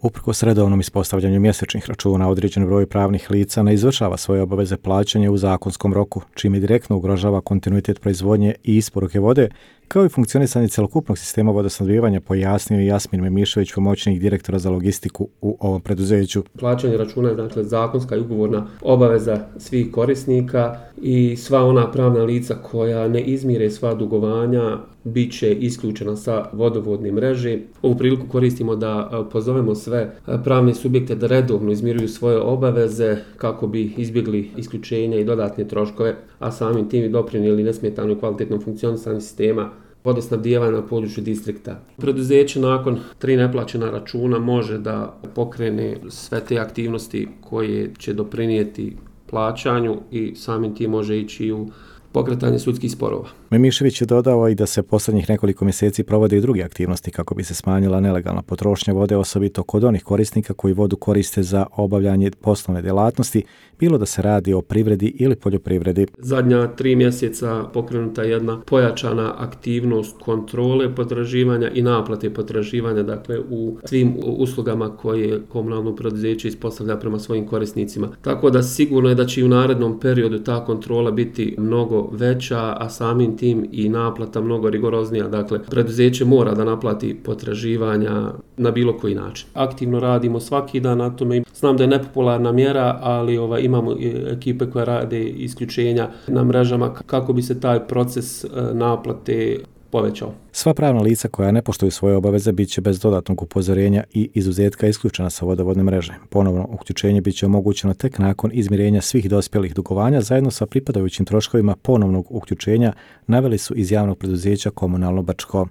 Uprkos redovnom ispostavljanju mjesečnih računa, određen broj pravnih lica ne izvršava svoje obaveze plaćanja u zakonskom roku, čime direktno ugrožava kontinuitet proizvodnje i isporuke vode, kao i funkcionisanje cjelokupnog sistema vodosnabdijevanja, pojasnio Jasmin Memišević, pomoćnik direktora za logistiku u ovom preduzeću. Plaćanje računa je dakle zakonska i ugovorna obaveza svih korisnika i sva ona pravna lica koja ne izmire sva dugovanja bit će isključena sa vodovodne mreže. Ovu priliku koristimo da pozovemo sve pravne subjekte da redovno izmiruju svoje obaveze kako bi izbjegli isključenja i dodatne troškove, a samim tim i doprinijeli nesmetano i kvalitetnom funkcionisanju sistema vodosnabdijevanja na području distrikta. Preduzeće nakon 3 neplaćena računa može da pokrene sve te aktivnosti koje će doprinijeti plaćanju i samim tim može ići u pokretanje sudskih sporova. Memišević je dodao i da se posljednjih nekoliko mjeseci provode i druge aktivnosti kako bi se smanjila nelegalna potrošnja vode, osobito kod onih korisnika koji vodu koriste za obavljanje poslovne djelatnosti, bilo da se radi o privredi ili poljoprivredi. Zadnja 3 mjeseca pokrenuta je jedna pojačana aktivnost kontrole potraživanja i naplate potraživanja, dakle u svim uslugama koje komunalno preduzeće ispostavlja prema svojim korisnicima. Tako da sigurno je da će i u narednom periodu ta kontrola biti mnogo veća, a samim tim i naplata mnogo rigoroznija. Dakle, preduzeće mora da naplati potraživanja na bilo koji način. Aktivno radimo svaki dan na tome. Znam da je nepopularna mjera, ali imamo ekipe koje rade isključenja na mrežama kako bi se taj proces naplate povećao. Sva pravna lica koja ne poštuju svoje obaveze bit će bez dodatnog upozorenja i izuzetka isključena sa vodovodne mreže. Ponovno uključenje bit će omogućeno tek nakon izmirenja svih dospjelih dugovanja zajedno sa pripadajućim troškovima ponovnog uključenja, naveli su iz javnog preduzeća Komunalno Brčko.